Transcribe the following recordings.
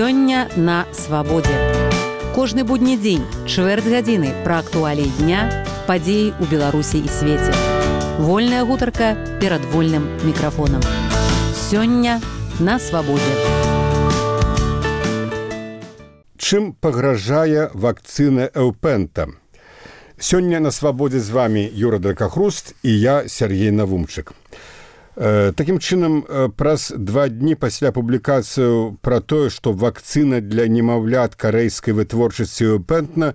Сёння на свабодзе. Кожны будні дзень, чвэрць гадзіны пра актуаліі дня, падзеі ў Беларусі і свеце. Вольная гутарка перад вольным мікрафонам. Сёння на свабодзе. Чым пагражае вакцына Эўпента? Сёння на свабодзе з вами Юра Дракахруст і я, Сергей Навумчык. Такім чынам, праз 2 дні пасля публікацыю пра тое, што вакцына для немаўлят карэйскай вытворчасці Эўпента,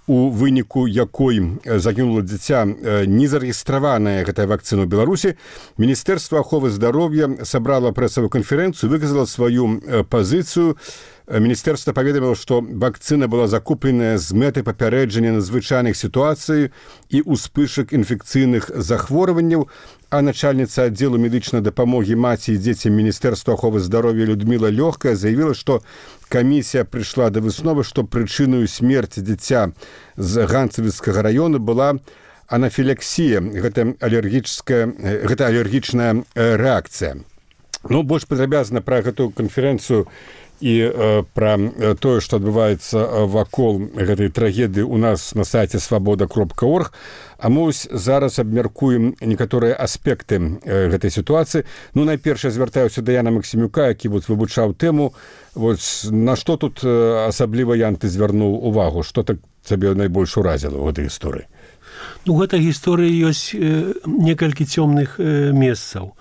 у выніку якой загінула дзіця, не зарэгістраваная гэтая вакцына ў Беларусі, Міністэрства аховы здароўя сабрала прэсавую канферэнцыю, выказала сваю пазіцыю. Міністэрства паведаміла, што вакцына была закупленая з мэтай папярэджання надзвычайных сітуацый і ўспышак інфекцыйных захворванняў, а начальніца аддзелу медычнай дапамогі маці і дзецям Міністэрства аховы здароўя Людміла Лёгкая заявіла, што камісія прыйшла да высновы, што прычынаю смерці дзіця з Ганцавіцкага раёну была анафіляксія, гэта алергічная рэакцыя. Больш падрабязна пра гэтую канферэнцыю і пра тое, што адбываецца вакол гэтай трагедыі у нас на сайце свабода.орг. А мы зараз абмяркуем некаторыя аспекты гэтай сітуацыі. Найперш, я звяртаюся да Яна Максімюка, які вывучаў тэму. На што тут асабліва, Ян, ты звярнуў увагу? Што так цябе найбольш уразіла ў гэтай гісторыі? У гэтай гісторыі ёсць некалькі цёмных месцаў.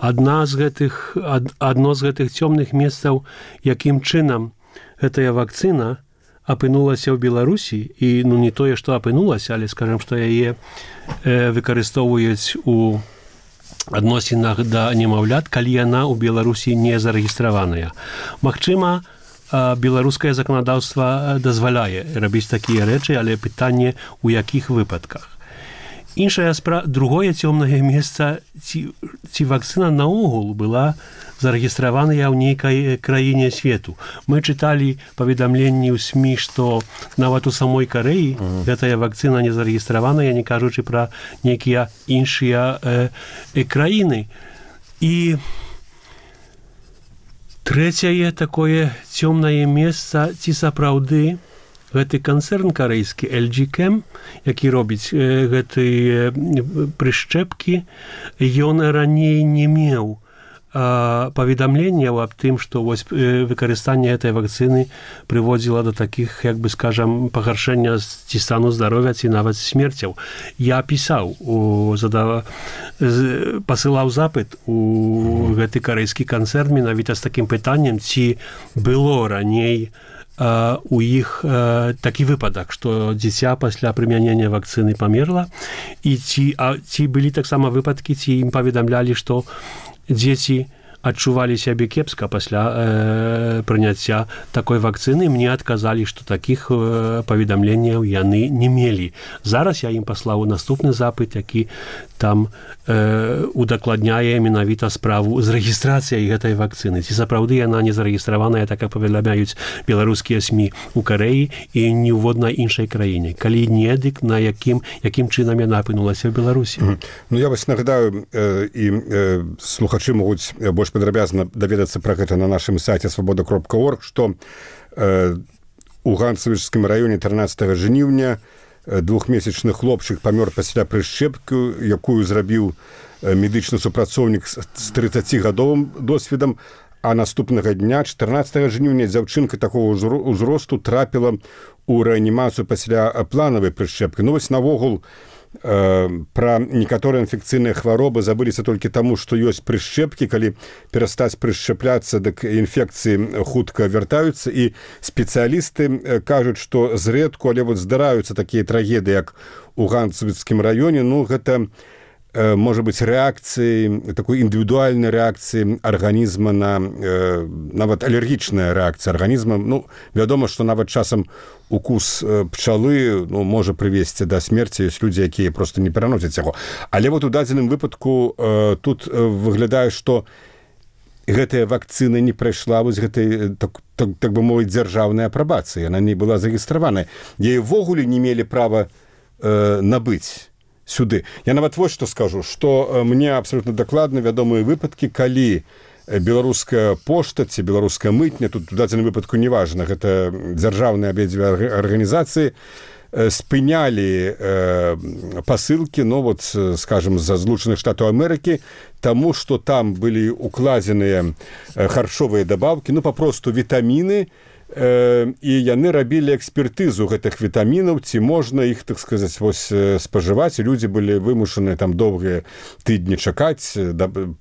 Адно з гэтых цёмных месцаў, якім чынам гэтая вакцына апынулася ў Беларусі, і не тое, што апынулася, але скажам, што яе выкарыстоўваюць у адносінах да немаўлят, калі яна ў Беларусі не зарэгістраваная. Магчыма, беларускае заканадаўства дазваляе рабіць такія рэчы, але пытанне, у якіх выпадках. Другое цёмнае месца, ці вакцына наогул была зарэгістраваная ў нейкай краіне свету. Мы чыталі паведамленні ў СМІ, што нават у самой Карэі гэтая вакцына не зарэгістраваная, не кажучы пра нейкія іншыя краіны. І трэцяе такое цёмнае месца, ці сапраўды гэты канцэрн карэйскі LG Chem, які робіць гэтыя прышчэпкі, ён раней не меў паведамленняў аб тым, што выкарыстанне гэтай вакцыны прыводзіла да такіх, пагаршэння ці стану здароўя, ці нават смерцяў. Я пісаў, пасылаў запыт у гэты карэйскі канцэрн менавіта з такім пытаннем, ці было раней у іх такі выпадак, што дзіця пасля прымянення вакцыны памерла, і ці былі таксама выпадкі, ці ім паведамлялі, што дзеці адчувалі сябе кепска пасля прыняцця такой вакцыны. Мне адказалі, што такіх паведамленняў яны не мелі. Зараз я ім паслаў наступны запыт, які там удакладняе менавіта справу з рэгістрацыяй гэтай вакцыны. Ці сапраўды яна не зарэгістраваная, так як паведамляюць беларускія СМІ у Карэі і ніводнай іншай краіне. Калі не, дык на якім чынам яна апынулася ў Беларусі? Я нагадаю, і слухачы могуць больш падрабязна даведацца пра гэта на нашым сайце свабода.орг, што у Ганцавічскім раёне 13 жніўня 2-месячны хлопчык памёр пасля прышчэпкі, якую зрабіў медычны супрацоўнік з 30-гадовым досведам, а наступнага дня, 14 жніўня, дзяўчынка такого ўзросту трапіла ў рэанімацыю пасля планавай прышчэпкі. Навогул пра некаторыя інфекцыйныя хваробы забыліся толькі таму, што ёсць прышчэпкі. Калі перастаць прышчэпляцца, дык інфекцыі хутка вяртаюцца, і спецыялісты кажуць, што зрэдку, але здараюцца такія трагедыі, як у Ганцавіцкім раёне. Гэта можа быць рэакцыі, такой індывідуальнай рэакцыі арганізма на нават алергічная рэакцыя арганізма. Вядома, што нават часам укус пчалы можа прывесці да смерці. Ёсць людзі, якія проста не пераносяць яго. Але у дадзеным выпадку тут выглядае, што гэтая вакцына не прайшла гэтай, так бы мовіць, дзяржаўнай апрабацыі. Яна не была зарэгістраваная. Яе ўвогуле не мелі права набыць сюды. Я нават вось што скажу, што мне абсолютна дакладна вядомыя выпадкі, калі беларуская пошта ці беларуская мытня, тут у дадзеным выпадку не важна, гэта дзяржаўныя абедзве арганізацыі, спынялі пасылкі, ну вот, скажем, з Злучаных Штатаў Амерыкі, таму што там былі укладзеныя харчовыя дабаўкі, ну папросту вітаміны, і яны рабілі экспертызу гэтых вітамінаў, ці можна іх, так сказаць, вось спажываць, і людзі былі вымушаны там доўгія тыдні чакаць,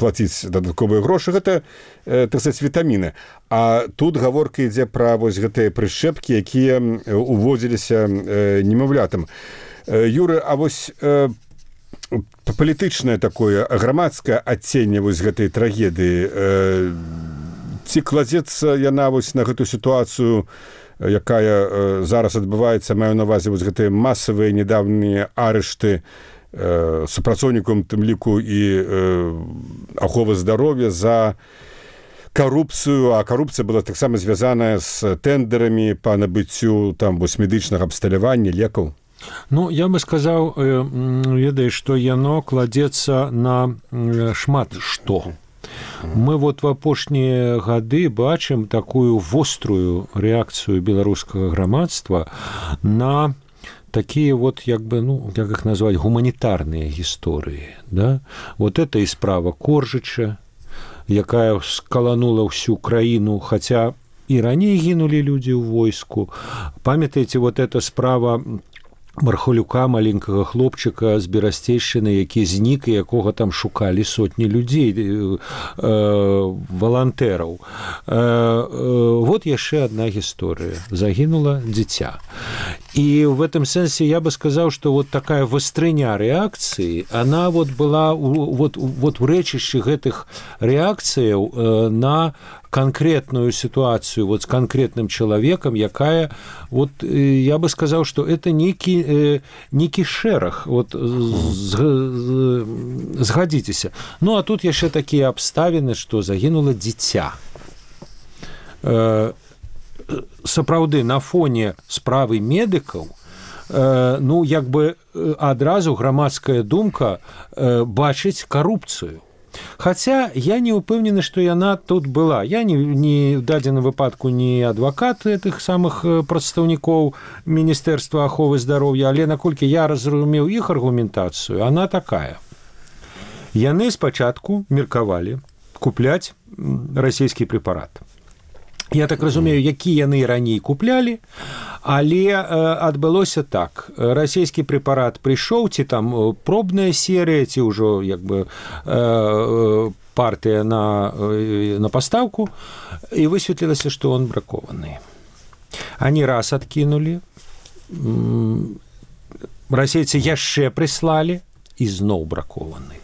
плаціць дадатковыя грошы, гэта, так сказаць, вітаміны. А тут гаворка ідзе пра вось гэтыя прышчэпкі, якія уводзіліся немаўлятам. Юры, а вось палітычнае такое грамадскае адценне вось гэтай трагедыі, ці кладзецца яна вось на гэту сітуацыю, якая зараз адбываецца, маю на ўвазе вось гэтыя масавыя недавнія арышты супрацоўнікам, тым ліку і аховы здароўя за карупцыю, а карупцыя была таксама звязаная з тэндерамі па набыццю там вось медычнага абсталявання, лекаў? Ну, я бы сказаў, ведаеш, што яно кладзецца на шмат што. Мы вот в апошнія гады бачым такую вострую рэакцыю беларускага грамадства на такія вот, як бы, ну, як іх назваць, гуманітарныя гісторыі, да? Вот это і справа Коржыча, якая скаланула ўсю краіну, хаця і раней гінулі людзі ў войску. Памятаеце, вот эта справа Мархалюка, маленькага хлопчыка з Берасцейшчыны, які знік, і якога там шукалі сотні людзей, валантэраў. Вот яшчэ адна гісторыя. Загінула дзіця. І в этом сэнсе я бы сказаў, што вот такая вастрыня рэакцыі, она вот была вот у рэчышчы гэтых рэакцыяў на конкретную ситуацию вот с конкретным человеком, якая, вот я бы сказал, что это некий шерах, вот сгодитесь. Ну, а тут еще такие обставины, что загинуло дитя. Сапраўды, на фоне справы медыкаў, ну, як бы адразу грамадская думка бачыць карупцыю. Хаця я не ўпэўнены, што яна тут была. Я не в дадзеным выпадку не адвакат гэтых самых прадстаўнікоў Міністэрства аховы здароўя, але наколькі я разумеў іх аргументацыю, она такая. Яны спачатку меркавалі купляць расійскі прэпарат. Я так разумею, які яны раней куплялі, але адбылося так. Расійскі прэпарат прыйшоў, ці там пробная серыя, ці ўжо як бы партыя на пастаўку, і высветлілася, што он бракаваны. Они раз адкінулі, расейцы яшчэ прыслалі, і зноў бракаваны.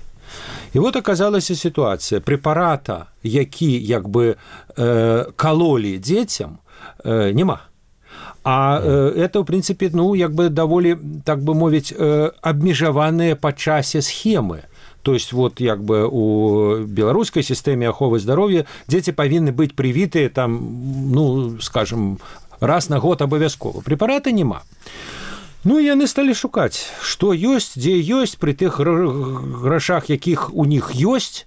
І вот аказалася сітуацыя. Прэпарата, які як бы калолі дзецям, няма. А это, в прынцыпе, ну, як бы даволі, так бы мовіць, абмежаваныя па часе схемы. То есть вот як бы у беларускай сістэме аховы здароўя дзеці павінны быць прывітыя там, ну, скажем, раз на год абавязкова. Прэпарата няма. Ну, яны сталі шукаць, што ёсць, дзе ёсць, пры тых грашах, якіх у них ёсць.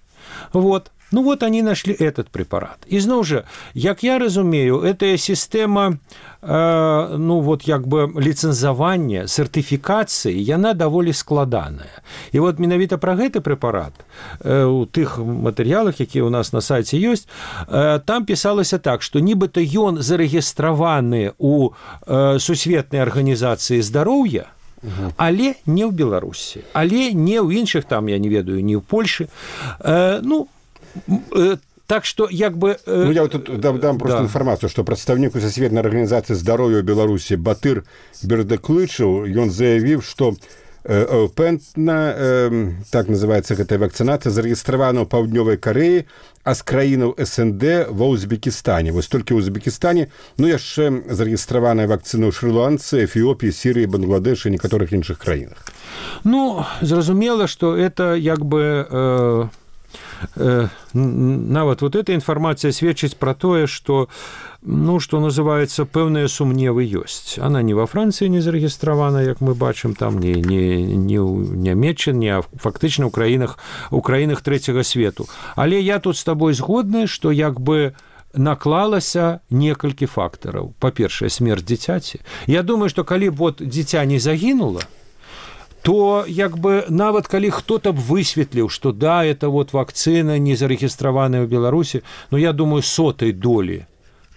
Вот. Ну, вот они нашли этот препарат. И зноў жа, як я разумею, эта система, ну, вот як бы лицензавання, сертыфікацыі, яна даволі складаная. И вот менавіта пра гэты препарат у тых матэрыялах, якія у нас на сайце ёсць, там пісалася так, што нібыта ён зарэгістраваны у Сусветнай арганізацыі здароўя, але не ў Беларусі, але не ў іншых, там, я не ведаю, не ў Польшы. Ну, так что як бы... Ну, я тут дам просто інфармацыю, што прадстаўнік Сусветнай арганізацыі здароўя ў Беларусі Батыр Бердыклычаў, ён заявіў, што пентна, так называецца гэтая вакцынацыя, зарэгістравана ў Паўднёвай Карэі, а з краінаў СНД ва Узбекістане. Вось толькі ў Узбекістане, ну, яшчэ зарэгістраваная вакцына ў Шры-Ланцы, Эфіопіі, Сірыі, Бангладэшы і некаторых іншых краінах. Ну, зразумела, што это як бы... нават вот эта інфармацыя сведчыць пра тое, што што называецца, пэўныя сумневы ёсць. Она не во Францыі не зарэгістравана, як мы бачым, там не ў Нямецчыне, а фактычна ў краінах трэцяга свету. Але я тут з табой згодны, што як бы наклалася некалькі фактараў. Па-першае, смерць дзіцяці. Я думаю, што калі б вот дзіця не загінула, то як бы нават калі хто-то б высветліў, што да, это вот вакцына не зарэгістраваная ў Беларусі, но я думаю, 100 долі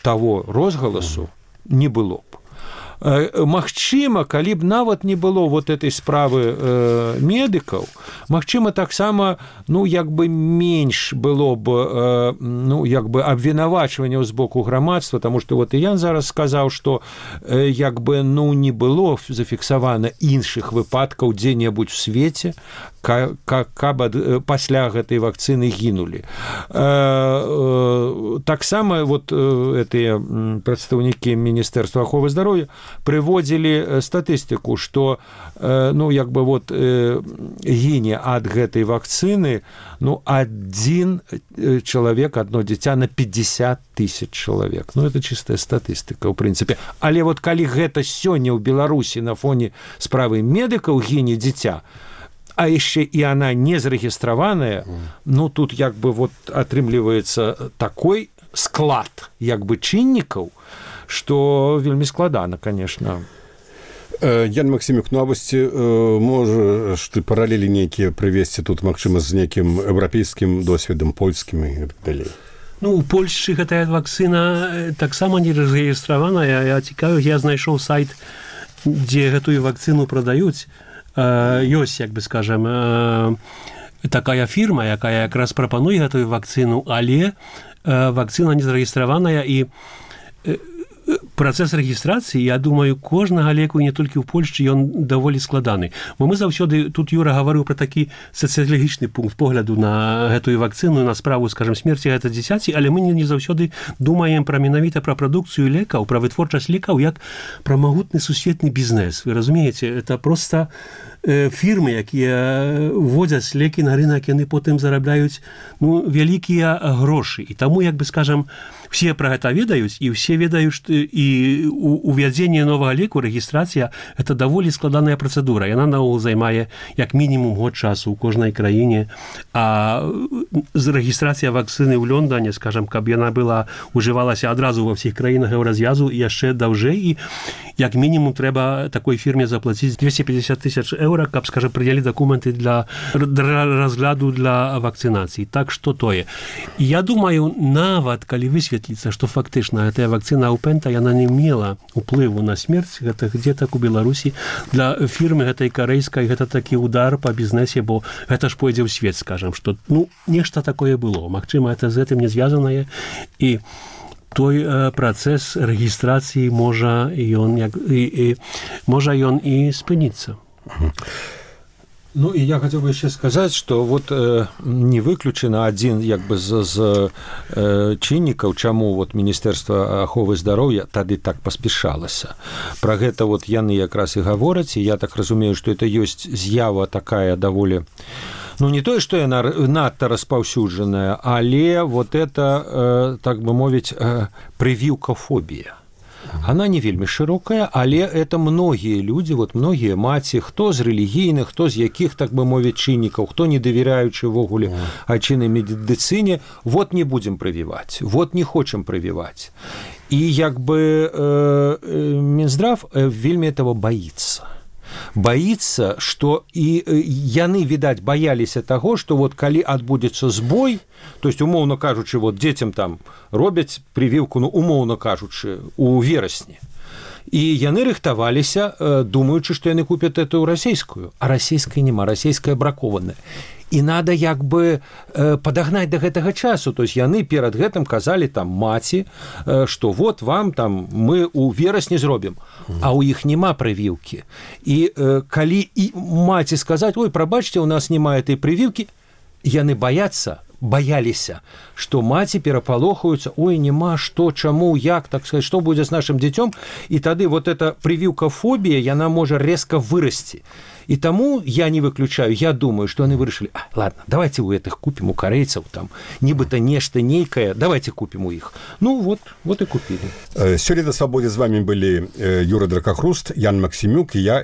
таго розгаласу не было б. Магчыма, калі б нават не было вот этой справы медыкаў, магчыма, таксама, як бы менш было б, як бы абвінавачванняў з боку грамадства, таму што вот і Ян зараз сказаў, што як бы, не было зафіксавана іншых выпадкаў дзе-небудзь у свеце, каб пасля гэтай вакцыны гінулі. Таксама вот гэтыя прадстаўнікі Міністэрства аховы здароўя прыводзілі статыстыку, што як бы вот гіне ад гэтай вакцыны адзін чалавек, адно дзіця на 50 000 чалавек. Это чыстая статыстыка, ў прынцыпе. Але вот калі гэта сёння ў Беларусі на фоне справы медыкаў гіне дзіця, а яшчэ і она не зарэгістраваная, тут як бы вот атрымліваецца такой склад як бы чыннікаў, што вельмі складана, конечно. Ян Максімюк, а вось можаш ты паралелі нейкія прывесці тут, магчыма, з нейкім еўрапейскім досведам, польскім і так далей? У Польшчы гэтая вакцына таксама не зарэгістраваная. Я знайшоў сайт, дзе гэтую вакцыну прадаюць. Ёсць, як бы скажем, такая фірма, якая якраз прапануе гэтую вакцыну, але вакцына не зарэгістраваная, і працэс рэгістрацыі, я думаю, кожнага леку, не толькі ў Польшчы, ён даволі складаны. Бо мы заўсёды, тут Юра гаварыў пра такі сацыялагічны пункт погляду на гэтую вакцыну, на справу, скажем, смерці гэта дзіцяці, але мы не заўсёды думаем менавіта пра прадукцыю лекаў, пра вытворчасць лекаў, як пра магутны сусветны бізнес. Вы разумееце, это проста фірмы, якія вводзяць лекі на рынак, яны потым зарабляюць вялікія грошы. І таму, як бы скажем, все пра гэта ведаюць, і все ведаюць, што і увядзенне новага леку, рэгістрацыя, это даволі складаная працэдура. Яна наогул займае як мінімум год часу ў кожнай краіне. А рэгістрацыя вакцыны ў Лондоне, скажем, каб яна была ужывалася адразу ва ўсіх краінах еўразвязу, яшчэ даўжэй, і як мінімум трэба такой фірме заплаціць 250 000 еўра, каб, скажем, прыдзялі дакументы для разгляду для вакцынацыі. Так што тое. Я думаю, нават калі высветліцца, што фактычна гэтая вакцына Аупента, яна не мела уплыву на смерць гэтых дзетак у Беларусі, для фірмы гэтай карэйскай гэта такі удар па бізнесе, бо гэта ж пойдзе ў свет, скажем, што нешта такое было. Магчыма, гэта з гэтым не звязанае, і той працэс рэгістрацыі можа ён і спыніцца. І я хацеў бы яшчэ сказаць, што вот не выключана адзін як бы з чыннікаў, чаму вот Міністэрства аховы здароўя тады так паспяшалася. Пра гэта вот яны якраз і гавораць, і я так разумею, што это ёсць з'ява такая даволі, не тое, што яна надта распаўсюджаная, але вот это, так бы мовіць, прывіўкафобія. Она не вельмі шырокая, але это многія людзі, вот многія маці, хто з рэлігійных, хто з якіх, так бы мовіць, чыннікаў, хто не давяряючы ввогуле айчыннай медыцыне, вот не будзем прывіваць, вот не хочам прывіваць. І як бы Мінздрав вельмі этого боится. Боится, што і яны, відаць, баяліся таго, што вот калі адбудзецца збой, то есть, умоўна кажучы, вот дзецям там робяць прывіўку, умоўна кажучы, у верасні. І яны рыхтаваліся, думаючы, што яны купяць эту расійскую, а расійскай няма, расійская бракованая. І надо як бы падагнаць да гэтага часу. То есть яны перад гэтым казалі там маці, што вот вам там мы ў верасні зробім, а ў іх няма прывіўкі. І калі і маці сказаць: ой, прабачце, у нас няма этой прывіўкі, яны баяцца, баяліся, што маці перапалохаюцца, ой, няма, што, чаму, як, так сказать, што будзе з нашым дзіцём, і тады вот эта прывіўка фобія, яна можа резко вырасці. И тому я не выключаю, я думаю, что они вырашили, ладно, давайте у этих купим, у корейцев, там, нібыта нешта нейкае, давайте купим у их. Ну, вот и купили. Сегодня на «Свободе» с вами были Юра Дракохруст, Ян Максимюк и я,